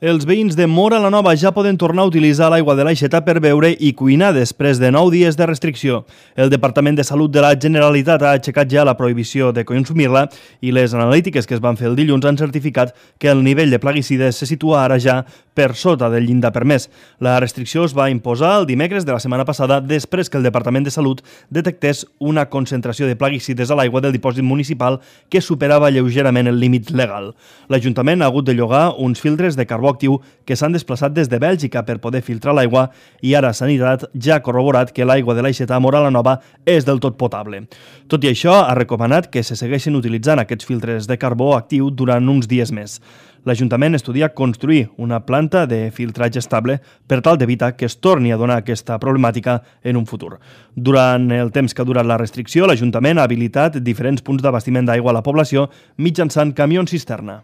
Els veïns de Móra la Nova ja poden tornar a utilitzar l'aigua de l'Aixeta per beure i cuinar després de 9 dies de restricció. El Departament de Salut de la Generalitat ha aixecat ja la prohibició de consumir-la i les analítiques que es van fer el dilluns han certificat que el nivell de plaguicides se situa ara ja per sota del llindar permès. La restricció es va imposar el dimecres de la setmana passada després que el Departament de Salut detectés una concentració de plaguicides a l'aigua del dipòsit municipal que superava lleugerament el límit legal. L'Ajuntament ha hagut de llogar uns filtres de carbó actiu que s'han desplaçat des de Bèlgica per poder filtrar l'aigua i ara Sanitat ja ha corroborat que l'aigua de l'Aixeta a Móra la Nova és del tot potable. Tot i això, ha recomanat que se segueixin utilitzant aquests filtres de carbó actiu durant uns dies més. L'Ajuntament estudia construir una planta de filtratge estable per tal d'evitar que es torni a donar aquesta problemàtica en un futur. Durant el temps que ha durat la restricció, l'Ajuntament ha habilitat diferents punts d'abastiment d'aigua a la població mitjançant camions cisterna.